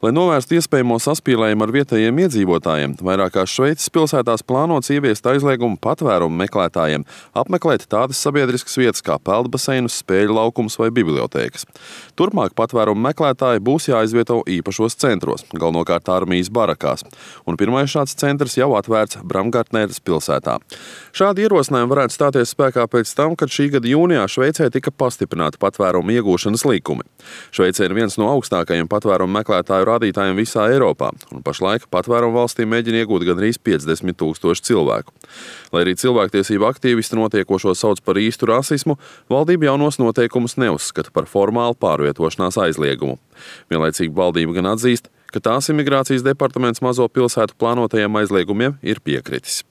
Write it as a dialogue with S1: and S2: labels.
S1: Lai novērstu iespējamo saspīlējumu ar vietējiem iedzīvotājiem, vairākās Šveices pilsētās plānots ieviest aizliegumu patvērumu meklētājiem apmeklēt tādas sabiedriskas vietas kā peldbaseinus, spēļu laukumus vai bibliotēkas. Turpmāk patvērumu meklētāji būs jāizvieto īpašos centros, galvenokārt armijas barakās, un pirmais šāds centrs jau atvērts Bramgartneres pilsētā. Šādi ierosinājumi varētu stāties spēkā pēc tam, kad šī gada jūnijā Šveicē tika pastiprināti patvērumu iegūšanas likumi. Šveice ir viens no augstākajiem patvērumu meklētāju rādītājiem visā Eiropā, un pašlaik patvērumu valstī mēģina iegūt gandrīz 50 000 cilvēku. Lai arī cilvēktiesību aktīvisti notiekošo sauc par īstu rasismu, valdība jaunos noteikumus neuzskata par formālu pārvietošanās aizliegumu. Vienlaicīgi valdība gan atzīst, ka tās imigrācijas departaments mazo pilsētu plānotajiem aizliegumiem ir piekritis.